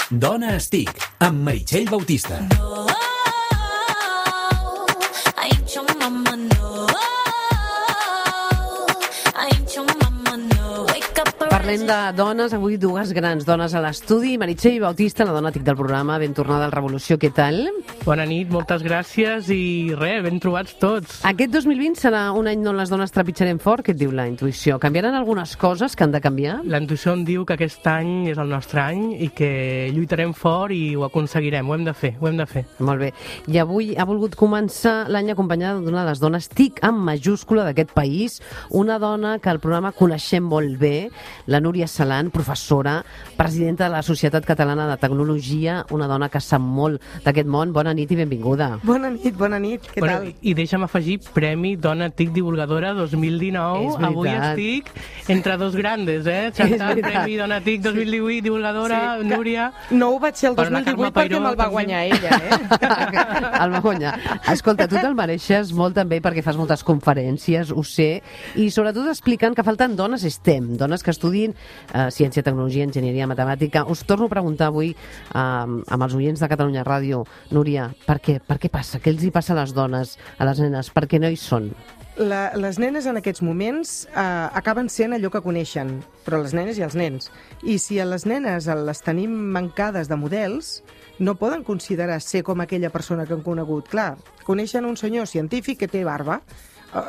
Dona Estic, amb Meritxell Bautista. Parlem de dones, avui dues grans dones a l'estudi. Meritxell Bautista, la dona tic del programa, ben tornada al Revolució, què tal? Bona nit, moltes gràcies i res, ben trobats tots. Aquest 2020 serà un any on les dones trepitjarem fort, què et diu la intuïció? Canviaran algunes coses que han de canviar? La intuïció em diu que aquest any és el nostre any i que lluitarem fort i ho aconseguirem, ho hem de fer. Molt bé. I avui ha volgut començar l'any acompanyada d'una de les dones TIC amb majúscula d'aquest país, una dona que al programa coneixem molt bé, la Núria Salant, professora, presidenta de la Societat Catalana de Tecnologia, una dona que sap molt d'aquest món. Bona nit i benvinguda. Bona nit, què tal? I deixa'm afegir Premi Dona TIC Divulgadora 2019. Avui estic entre dos grandes, Chantal, Premi Dona TIC 2018, divulgadora, sí, Núria... No ho vaig ser el 2018 perquè me'l va guanyar ella, El va guanyar. Escolta, tu te'l mereixes molt també perquè fas moltes conferències, ho sé, i sobretot explicant que falten dones STEM, dones que estudin ciència, tecnologia, enginyeria, matemàtica. Us torno a preguntar avui amb els oients de Catalunya Ràdio, Núria, per què passa? Què els hi passa a les dones, a les nenes? Per què no hi són? Les nenes en aquests moments acaben sent allò que coneixen, però les nenes i els nens. I si a les nenes les tenim mancades de models, no poden considerar ser com aquella persona que han conegut. Clar, coneixen un senyor científic que té barba.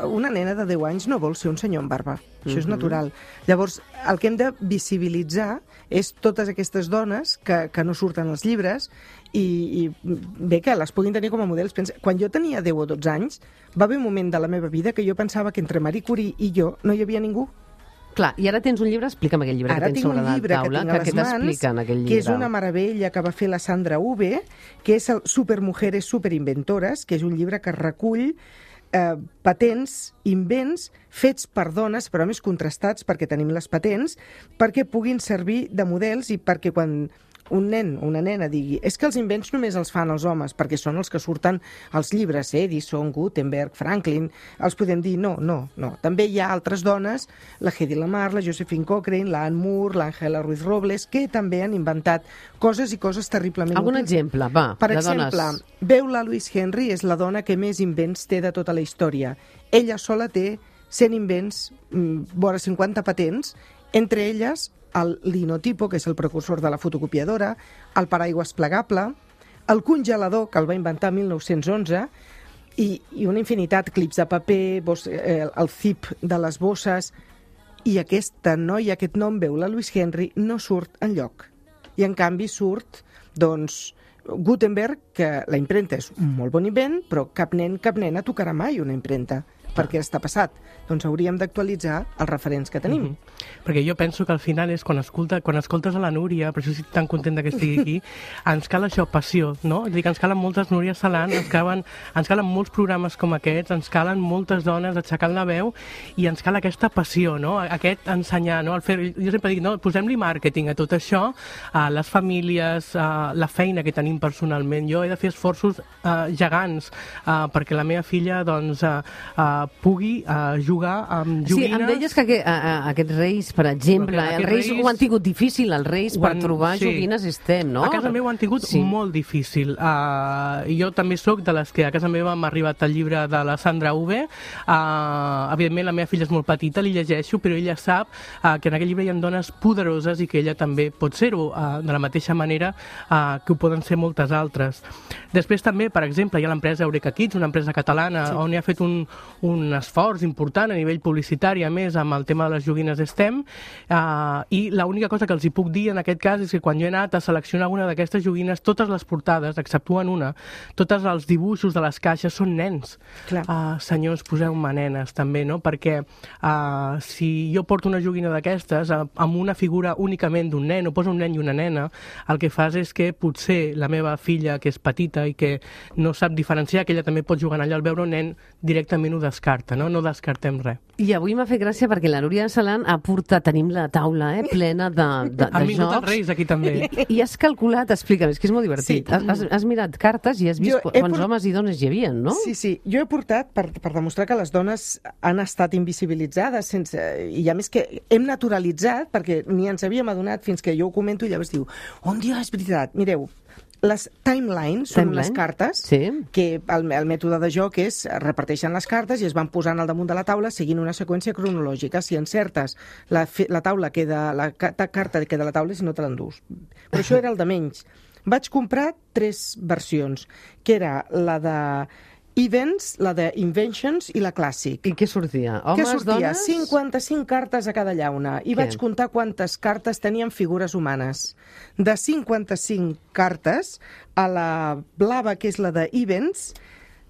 Una nena de 10 anys no vol ser un senyor amb barba. Això és natural. Llavors, el que hem de visibilitzar és totes aquestes dones que no surten als llibres i bé, que les puguin tenir com a models. Quan jo tenia 10 o 12 anys, va haver un moment de la meva vida que jo pensava que entre Marie Curie i jo no hi havia ningú. Clar, i ara tens un llibre, explica'm aquell llibre que tens sobre la taula, que t'explica en aquell llibre. Que és una meravella que va fer la Sandra Uve, que és el Supermujeres Superinventores, que és un llibre que recull patents, invents fets per dones, però més contrastats perquè tenim les patents, perquè puguin servir de models i perquè quan un nen o una nena digui és que els invents només els fan els homes, perquè són els que surten als llibres, Edison, Gutenberg, Franklin, els podem dir no. També hi ha altres dones, la Hedy Lamarr, la Josephine Cochrane, la Anne Moore, l'Àngela Ruiz Robles, que també han inventat coses i coses terriblement Algun útils. exemple, va, per de exemple, dones. Beulah Louise Henry és la dona que més invents té de tota la història. Ella sola té 100 invents, vora 50 patents, entre elles el linotipo, que és el precursor de la fotocopiadora, el paraigües plegable, el congelador, que el va inventar el 1911, i una infinitat, clips de paper, el zip de les bosses, i aquesta noia, aquest nom, Beulah Louise Henry, no surt enlloc. I en canvi surt, doncs, Gutenberg, que la impremta és un molt bon invent, però cap nen, cap nena tocarà mai una impremta. Per què està passat? Doncs hauríem d'actualitzar els referents que tenim. Perquè jo penso que al final és quan escoltes a la Núria, per això estic tan contenta que estigui aquí, ens cal això, passió, no? És a dir, que ens calen moltes Núria Salant, ens calen molts programes com aquests, ens calen moltes dones aixecant la veu i ens cal aquesta passió, no? Aquest ensenyar, no? Jo sempre dic, no? Posem-li màrqueting a tot això, a les famílies, a la feina que tenim personalment. Jo he de fer esforços gegants perquè la meva filla, doncs, pugui jugar amb joguines... Sí, em deies que aquests reis, per exemple, els reis ho han tingut difícil, els reis, per trobar joguines STEM, no? A casa meva ho han tingut molt difícil. Jo també sóc de les que a casa meva m'ha arribat el llibre de la Sandra Uve. Evidentment, la meva filla és molt petita, li llegeixo, però ella sap que en aquell llibre hi ha dones poderoses i que ella també pot ser-ho, de la mateixa manera que ho poden ser moltes altres. Després també, per exemple, hi ha l'empresa Eureka Kids, una empresa catalana, on hi ha fet un esforç important a nivell publicitari, a més, amb el tema de les joguines STEM, i l'única cosa que els hi puc dir en aquest cas és que quan jo he anat a seleccionar alguna d'aquestes joguines, totes les portades, exceptuant una, tots els dibuixos de les caixes són nens. Senyors, poseu-me nenes també, no? Perquè si jo porto una joguina d'aquestes amb una figura únicament d'un nen, o poso un nen i una nena, el que fas és que potser la meva filla, que és petita i que no sap diferenciar, que ella també pot jugar allà, al veure un nen directament ho descarta. descarta, no? No descartem res. I avui m'ha fet gràcia perquè la Núria Salant ha portat, tenim la taula plena de Han vingut els jocs. reis aquí també. I has calculat, explica'm, és que és molt divertit. Sí. Has mirat cartes i has vist quants homes i dones hi havia, no? Sí. Jo he portat per demostrar que les dones han estat invisibilitzades i a més que hem naturalitzat, perquè ni ens havíem adonat fins que jo ho comento i llavors diu, on dia és veritat? Mireu, les timelines són les cartes que el mètode de joc és reparteixen les cartes i es van posant al damunt de la taula seguint una seqüència cronològica. Si encertes, la carta queda a la taula i si no te l'endús. Però això era el de menys. Vaig comprar 3 versions, que era la de Events, la de Inventions i la Clàssic. I què sortia? Homes, dones? 55 cartes a cada llauna. I vaig comptar quantes cartes tenien figures humanes. De 55 cartes, a la blava, que és la de Events,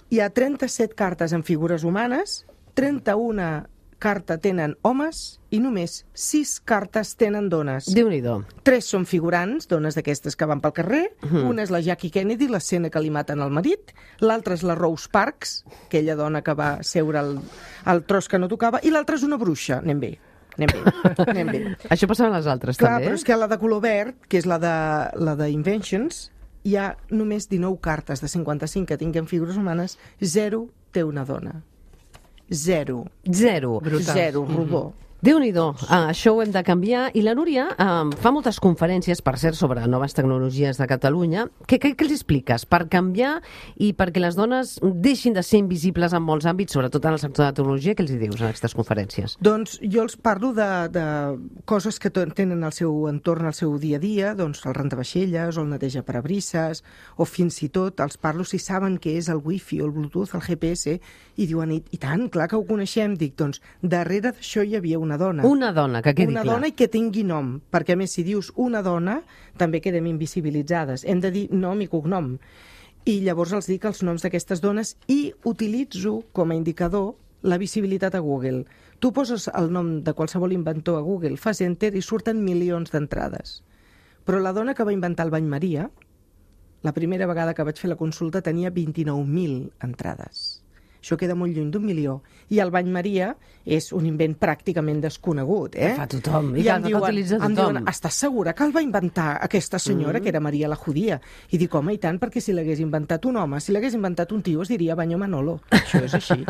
hi ha 37 cartes en figures humanes, 31 cartes tenen homes i només 6 cartes tenen dones. Déu-n'hi-do. 3 són figurants, dones d'aquestes que van pel carrer. Una és la Jackie Kennedy, l'escena que li maten al marit. L'altra és la Rose Parks, aquella dona que va seure al tros que no tocava. I l'altra és una bruixa. Anem bé. Això passava a les altres, Clar, també. Però és que a la de color verd, que és la de Inventions, hi ha només 19 cartes de 55 que tinguen figures humanes, 0 té una dona. 0. Brutal. 0, rodó. Déu-n'hi-do, això ho hem de canviar. I la Núria fa moltes conferències, per cert, sobre noves tecnologies de Catalunya. Què els expliques? Per canviar i perquè les dones deixin de ser invisibles en molts àmbits, sobretot en el sector de la tecnologia, què els hi dius en aquestes conferències? Doncs jo els parlo de coses que tenen al seu entorn, al seu dia a dia, doncs el rentavaixelles o el neteja parabrisses, o fins i tot els parlo si saben què és el wifi o el bluetooth, el GPS, i diuen, i tant, clar que ho coneixem. Dic, doncs, darrere d'això hi havia una dona. Una dona, que quedi clar. Una dona i que tingui nom, perquè a més si dius una dona també quedem invisibilitzades. Hem de dir nom i cognom. I llavors els dic els noms d'aquestes dones i utilitzo com a indicador la visibilitat a Google. Tu poses el nom de qualsevol inventor a Google, fas enter i surten milions d'entrades. Però la dona que va inventar el bany Maria, la primera vegada que vaig fer la consulta tenia 29.000 entrades. Això queda molt lluny d'1 milió. I el bany Maria és un invent pràcticament desconegut, Que fa tothom, i I que em utilitza tothom. diuen, estàs segura que el va inventar aquesta senyora, que era Maria la Judía? I dic, home, i tant, perquè si l'hagués inventat un home, si l'hagués inventat un tio, es diria Banyo Manolo. Això és així.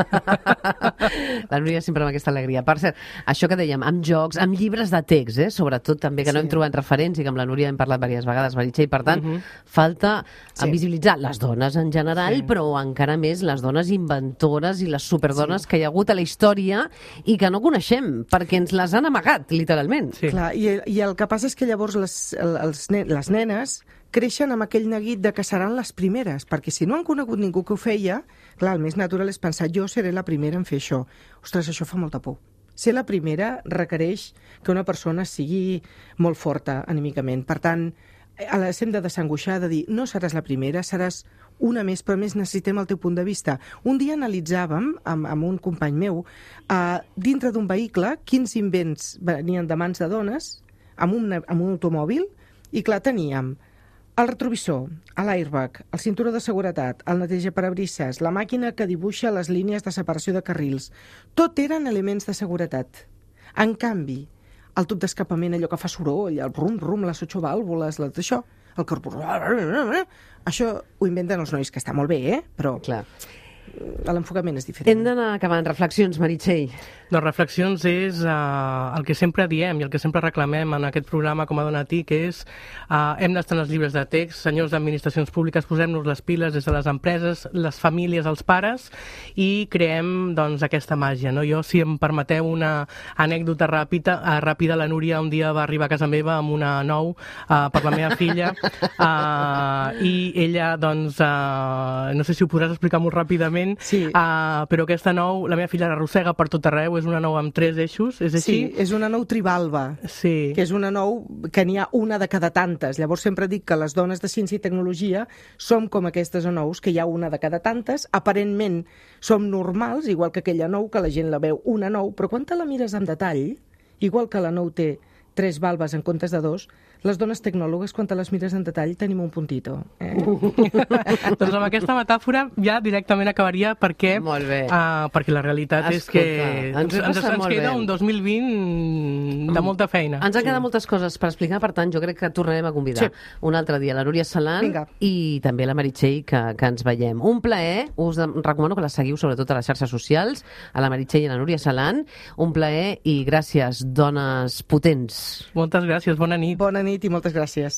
La Núria sempre amb aquesta alegria. Per cert, això que dèiem, amb jocs, amb llibres de text, sobretot també, que no hem trobat referents i que amb la Núria hem parlat diverses vegades, Meritxell, per tant, falta visibilitzar les dones en general, però encara més les dones inventores i les superdones que hi ha hagut a la història i que no coneixem, perquè ens les han amagat, literalment. Sí. Clar, i el que passa és que llavors les nenes creixen amb aquell neguit de que seran les primeres, perquè si no han conegut ningú que ho feia, clar, el més natural és pensar, jo seré la primera en fer això. Ostres, això fa molta por. Ser la primera requereix que una persona sigui molt forta anímicament. Per tant, hem de desangoixar, de dir, no seràs la primera, seràs una més, però més necessitem el teu punt de vista. Un dia analitzàvem, amb un company meu, dintre d'un vehicle, quins invents venien de mans de dones, amb un automòbil, i clar, teníem el retrovisor, l'airbag, el cinturó de seguretat, el neteja parabrisses, la màquina que dibuixa les línies de separació de carrils. Tot eren elements de seguretat. En canvi, el tub d'escapament, allò que fa soroll, el rum-rum, les 8 vàlvules, això, el carburó... Això ho inventen els nois, que està molt bé, però Clar. l'enfocament és diferent. Hem d'anar acabant. Reflexions, Meritxell. Doncs reflexions és el que sempre diem i el que sempre reclamem en aquest programa com a Dona TIC, que és hem d'estar en els llibres de text, senyors d'administracions públiques, posem-nos les piles des de les empreses, les famílies, els pares, i creem doncs, aquesta màgia. No? Jo, si em permeteu una anècdota ràpida, la Núria un dia va arribar a casa meva amb una nou per la meva filla i ella, doncs, no sé si ho podràs explicar molt ràpidament, Sí. Però aquesta nou, la meva filla l'arrossega per tot arreu, és una nou amb 3 eixos, és així? Sí, és una nou tribalba, Sí. que és una nou que n'hi ha una de cada tantes. Llavors sempre dic que les dones de ciència i tecnologia som com aquestes nous, que hi ha una de cada tantes. Aparentment som normals, igual que aquella nou, que la gent la veu una nou, però quan te la mires en detall, igual que la nou té 3 valves en comptes de 2, les dones tecnòlogues, quan te les mires en detall, tenim un puntito. Doncs amb aquesta metàfora ja directament acabaria perquè, Molt bé. perquè la realitat és Escolta, que ens ho ens passem molt queda bé. un 2020 de molta feina. Ens han quedat moltes coses per explicar, per tant, jo crec que tornarem a convidar un altre dia la Núria Salant Vinga. i també la Meritxell, que ens veiem. Un plaer, us recomano que la seguiu sobretot a les xarxes socials, a la Meritxell i a la Núria Salant. Un plaer i gràcies, dones potents. Moltes gràcies, bona nit. Bona nit i moltes gràcies.